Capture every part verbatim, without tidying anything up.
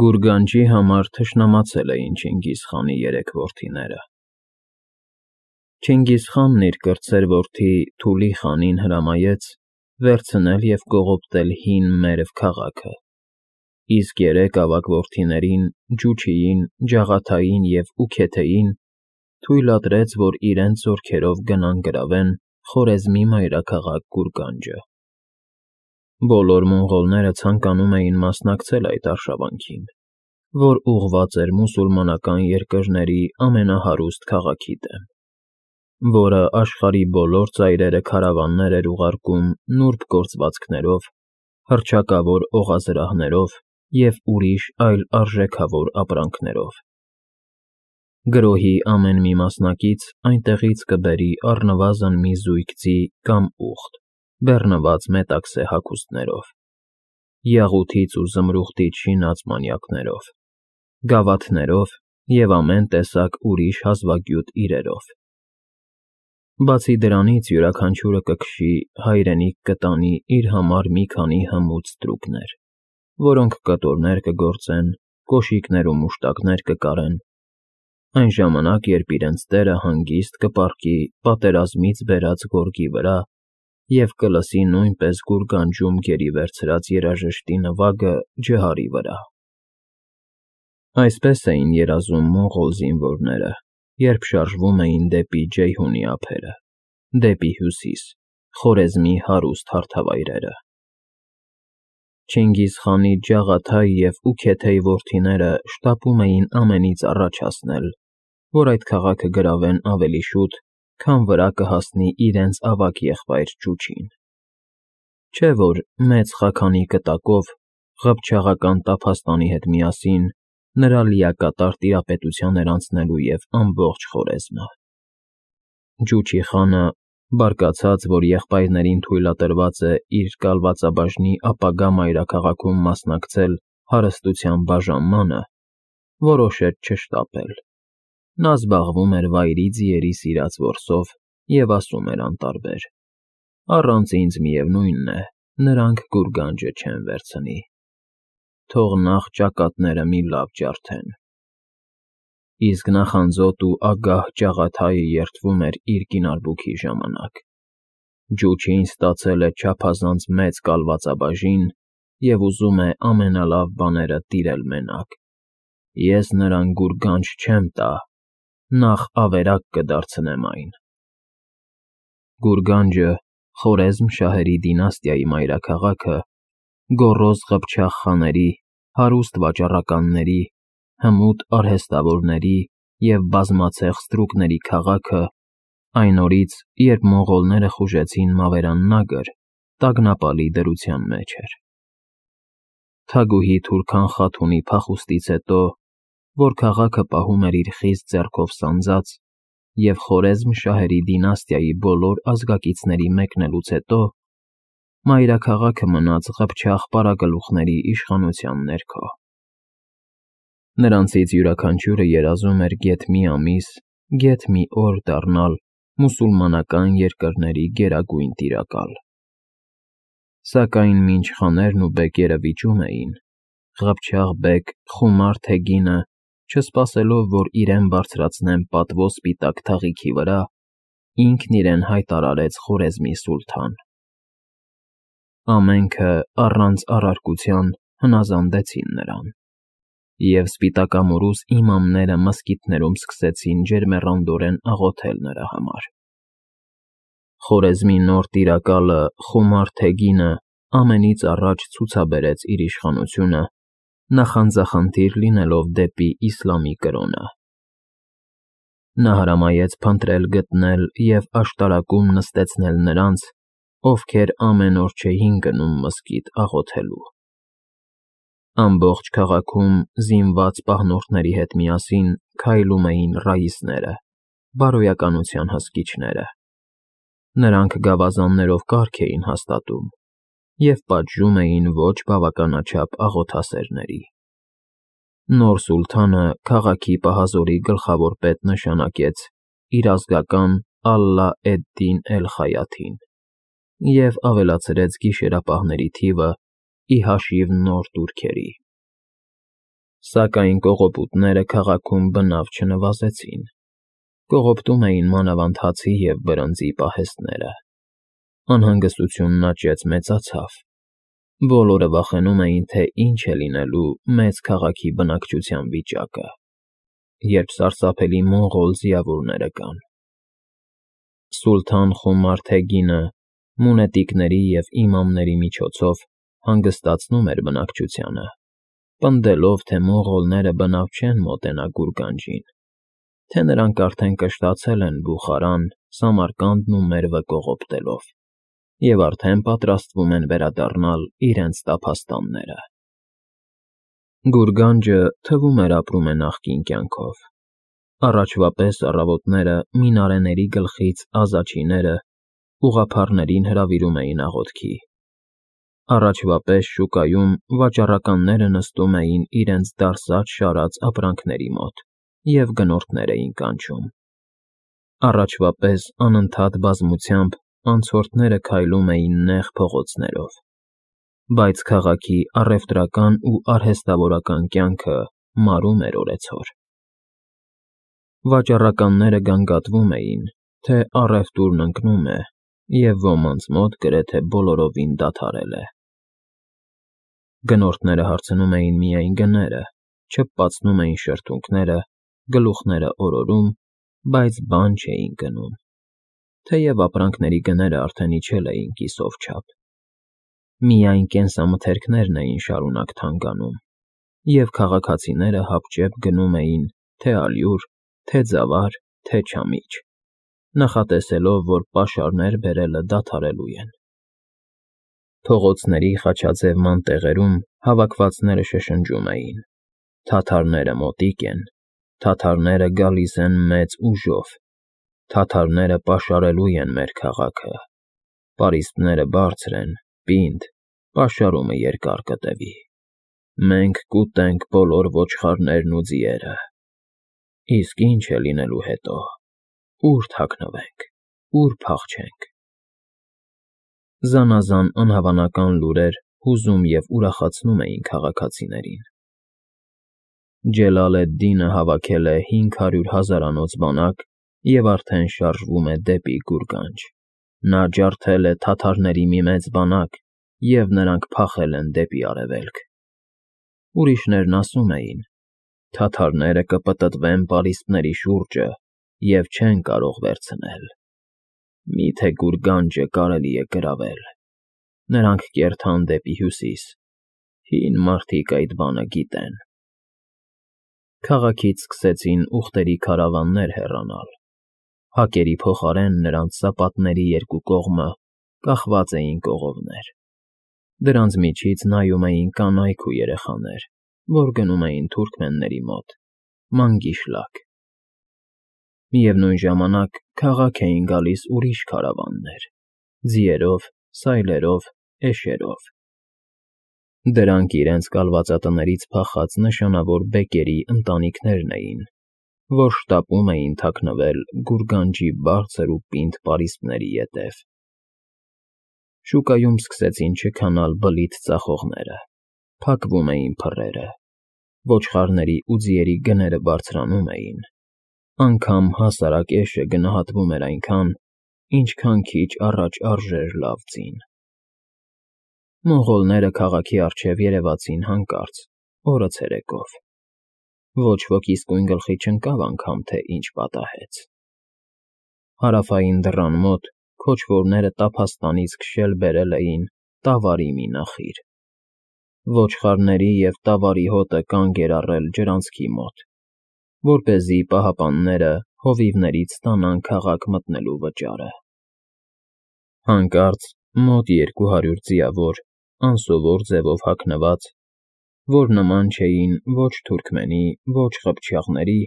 Գուրգանջի համար թշնամացել էին Չինգիզխանի երեք որդիները։ Չինգիզխանն իր կրտսեր որդի Թուլի խանին հրամայեց վերցնել և կողոպտել հին Մերվ քաղաքը, իսկ երեք ավագ որդիներին՝ Ջուչիին, Ջաղաթային և Ուքեթեին թույլատրեց, որ իրենց զորքերով գնան գրավեն Խորեզմի մայրաքաղաք Գուրգանջը։ Բոլոր մոնղոլները ցանկանում էին մասնակցել այդ արշավանքին, որ ուղղված էր մուսուլմանական երկրների ամենահարուստ քաղաքի դեմ, որը աշխարհի բոլոր ծայրերը քարավաններ էր ուղարկում նուրբ գործվածքներով, հռչակավոր օղազրահներով և ուրիշ այլ արժեքավոր ապրանքներով։ Գրոհի ամեն մի մասնակից այնտեղից կբերի առնվազն մի զույգ ձի կամ ուղտ՝ բեռնված մետաքսե հագուստներով, յաղութից ու զմրուխտից շինած մանյակներով, գավաթներով և ամեն տեսակ ուրիշ հազվագյուտ իրերով։ Բացի դրանից յուրաքանչյուրը կքշի հայրենիք կտանի իր համար մի քանի հմուտ ստրուկներ, որոնք կտորներ կգործեն, կոշիկներ ու մուշտակներ կկարեն, այն ժամանակ, երբ իրենց տերը հանգիստ կպառկի պատերազմից բերած գորգի վրա և կլսի նույնպես Գուրգանջում գերի վերցրած երաժշտի նվագը ջհարի վրա։ Այսպես էին երազում մոնղոլ զինվորները, երբ շարժվում էին դեպի Ջեյհունի ափերը, դեպի հյուսիս, Խորեզմի հարուստ հարթավայրերը։ Չինգիզխանի Ջաղաթայի և Ուքեթեի որդիները շտապում էին ամենից առաջ հասնել, որ այդ քաղաքը գրավեն ավելի շուտ, քան վրա կհասնի իրենց ավագ եղբայր Ջուչին։ Չէ՞ որ մեծ Խաքանի կտակով, ղփչաղական տափաստանի հետ միասին նրա լիակատար տիրապետության էր անցնելու և ամբողջ Խորեզմը։ Ջուչի խանը, բարկացած, որ եղբայրներին թույլատրված է իր կալվածաբաժնի ապագա մայրաքաղաքում մասնակցել հարստության բաժանմանը, որոշեց չշտապել։ Նա զբաղվում էր վայրի ձիերի սիրած որսով և ասում էր անտարբեր. «Առանց ինձ, միևնույն է, նրանք Գուրգանջը չեն վերցնի, թող նախ ճակատները մի լավ ջարդեն»։ Իսկ նախանձոտ ու ագահ Ջաղաթայը երդվում էր իր կինարբուքի ժամանակ. «Ջուչին ստացել է չափազանց մեծ կալվածաբաժին և ուզում է ամենալավ բաները տիրել մենակ։ Ես նրան Գուրգանջ չեմ տա, նախ ավերակ կդարձնեմ այն»։ Գուրգանջը, Խորեզմ շահերի դինաստիայի մայրաքաղաքը, գոռոզ ղփչաղ խաների, հարուստ վաճառականների, հմուտ արհեստավորների և բազմացեղ ստրուկների քաղաքը, այն օրից, երբ մոնղոլները խուժեցին Մավերան Նագր, տագնապալի դրության մեջ էր։ Թագուհի Թուրքան Խաթունի փախուստից հետո, որ քաղաքը պահում էր իր խիստ ձեռքով սանձած, և Խորեզմ շահերի դինաստիայի բոլոր ազգակիցների մեկնելուց հետո, մայրաքաղաքը մնաց ղփչաղ պարագլուխների իշխանության ներքո։ Նրանցից յուրաքանչյուրը երազում էր գեթ մի ամիս, գեթ մի օր դառնալ մուսուլմանական երկրների գերագույն տիրակալ։ Սակայն մինչ խաներն ու բեկերը վիճում էին, ղփչաղ բեկ Խումար Թեգինը, չսպասելով, որ իրեն բարձրացնեն պատվո սպիտակ թաղիքի վրա, ինքն իրեն հայտարարեց Խորեզմի սուլթան։ Ամենքը առանց առարկության հնազանդեցին նրան, և սպիտակամորուս իմամները մզկիթներում սկսեցին ջերմեռանդորեն աղոթել նրա համար։ Խորեզմի նոր տիրակալը Խումար Թեգինը ամենից առաջ ցուցաբերեց իր իշխանությունը, նախանձախնդիր լինելով դեպի իսլամի կրոնը։ Նա հրամայեց փնտրել գտնել և աշտարակում նստեցնել նրանց, ովքեր ամեն օր չէին գնում մզկիթ աղոթելու։ Ամբողջ քաղաքում զինված պահնորդների հետ միասին քայլում էին ռաիսները, բարոյականության հսկիչները։ Նրանք գավազաններով կարգ էին հաստատում և պատժում էին ոչ բավականաչափ աղոթասերների։ Նոր սուլթանը քաղաքի պահազորի գլխավոր պետ նշանակեց իր ազգական Ալլա էդ֊Դին Էլ֊Խայաթին և ավելացրեց գիշերապահների թիվը ի հաշիվ նոր տուրքերի։ Սակայն կողոպուտները քաղաքում բնավ չնվազեցին. կողոպտում էին մանավանդ հացի և բրնձի պահեստները։ Անհանգստությունն աճեց մեծացավ. բոլորը վախենում էին, թե ինչ է լինելու մեծ քաղաքի բնակչության վիճակը, երբ սարսափելի մոնղոլ ձիավորները գան։ Սուլթան Խոմար Թեգինը մունետիկների և իմամների միջոցով հանգստացնում էր բնակչությանը, պնդելով, թե մոնղոլները բնավ չեն մոտենա Գուրգանջին, թե նրանք արդեն կշտացել են Բուխարան, Սամարկանդն ու Մերվը կողոպտելով և արդեն պատրաստվում են վերադառնալ իրենց տափաստանները։ Գուրգանջը, թվում էր, ապրում է նախկին կյանքով։ Առաջվա պես առավոտները մինարեների գլխից ազաչիները ուղղափառներին հրավիրում էին աղոթքի։ Առաջվա պես շուկայում վաճառականները նստում էին իրենց դարսած֊շարած ապրանքների մոտ և գնորդներ էին կանչում։ Առաջվա պես անընդհատ բազմությամբ անցորդները քայլում էին նեղ փողոցներով, բայց քաղաքի առևտրական ու արհեստավորական կյանքը մարում էր օրեցօր։ Վաճառականները գանգատվում էին, թե առևտուրն ընկնում է և ոմանց մոտ գրեթե բոլորովին դադարել է։ Գնորդները հարցնում էին միայն գները, չփպացնում էին շրթունքները, գլուխները օրորում, բայց բան չէին գնում, թեև ապրանքների գները արդեն իջել էին կիսով չափ։ Միայն կենսամթերքներն էին շարունակ թանկանում, և քաղաքացիները հապճեպ գնում էին թե ալյուր, թե ձավար, թե չամիչ, նախատեսելով, որ պաշարներ բերելը դադարելու են։ Փողոցների խաչաձև մանտեղերում հավաքվածները շշնջում էին. «Թաթարները մոտիկ են, թաթարները գալիս են մեծ ուժով, թաթարները պաշարելու են մեր քաղաքը, պարիսպները բարձր են, պինդ, պաշարումը երկար կտևի, մենք կուտենք բոլոր ոչխարներն ու ձիերը։ Իսկ ի՞նչ է լինելու հետո, ո՞ւր թաքնվենք, ո՞ւր փախչենք»։ Զանազան անհավանական լուրեր հուզում և ուրախացնում էին քաղաքացիներին։ Ջելալ էդ֊Դինը հավաքել է հինգ հարյուր հազարանոց բանակ և արդեն շարժվում է դեպի Գուրգանջ։ Նա ջարդել է թաթարների մի մեծ բանակ, և նրանք փախել են դեպի արևելք։ Ուրիշներն ասում էին. թաթարները կպտտվեն պարիսպների շուրջը և չեն կարող վերցնել։ Մի՞թե Գուրգանջը կարելի է գրավել։ Նրանք կերթան դեպի հյուսիս, հին մարդիկ այդ բանը գիտեն։ Քաղաքից սկսեցին ուղտերի քարավաններ հեռանալ։ Հակերի փոխարեն նրանց սապատների երկու կողմը կախված էին կողովներ։ Դրանց միջից նայում էին կանայք ու երեխաներ, որ գնում էին թուրքմենների մոտ՝ Մանգիշլակ։ Միևնույն ժամանակ քաղաք էին գալիս ուրիշ քարավաններ՝ ձիերով, սայլերով, էշերով։ Դրանք իրենց կալվածատներից փախած նշանավոր բեկերի ընտանիքներն էին, որ շտապում էին թաքնվել Գուրգանջի բարձր ու պինդ պարիսպների ետև։ Շուկայում սկսեցին չքանալ բլիթ ծախողները, փակվում էին փռերը, ոչխարների ու ձիերի գները բարձրանում էին, անգամ հասարակ էշը գնահատվում էր այնքան, ինչքան քիչ առաջ արժեր լավ ձին։ Մոնղոլները քաղաքի առջև երևացին հանկարծ, օրը ցերեկով։ Ոչ ոք իսկույն գլխի չընկավ անգամ, թե ինչ պատահեց։ Հարավային դռան մոտ քոչվորները տափաստանից քշել բերել էին տավարի մի նախիր։ Ոչխարների և տավարի հոտը կանգ էր առել ջրանցքի մոտ, որպեսզի պահապանները հովիվներից ստանան քաղաք մտնելու վճարը։ Հանկարծ մոտ երկու հարյուր ձիավոր, անսովոր ձևով հագնված, որ նման չէին ոչ թուրքմենի, ոչ ղփչաղների,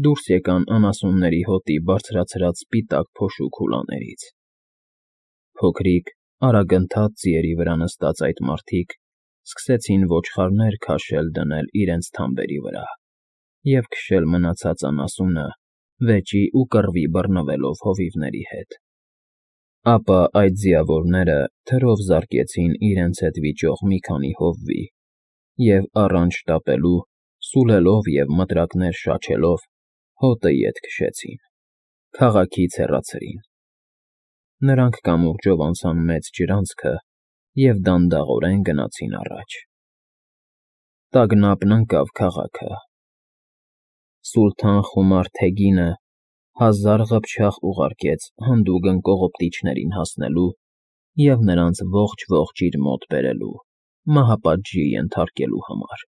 դուրս եկան անասունների հոտի բարձրացրած սպիտակ փոշու քուլաներից։ Փոքրիկ, արագընթաց ձիերի վրա նստած այդ մարդիկ սկսեցին ոչխարներ քաշել դնել իրենց թամբերի վրա և քշել մնացած անասունը վեճի ու կռվի բռնվելով հովիվների հետ։ Ապա այդ ձիավորները թրով զարկեցին իրենց հետ վիճող մի քանի հովվի և, առանց շտապելու, Սուլելով և մտրակներ շաչելով, հոտը ետ քշեցին, քաղաքից հեռացրին. նրանք կամուրջով անցան մեծ ջրանցքը և դանդաղորեն գնացին առաջ. տագնապն ընկավ քաղաքը. Սուլթան Խումար Թեգինը հազար ղփչաղ ուղարկեց հանդուգն կողոպտիչներին հասնելու և նրանց ողջ֊ողջ իր մոտ բերելու, մահապատժի ենթարկելու համար։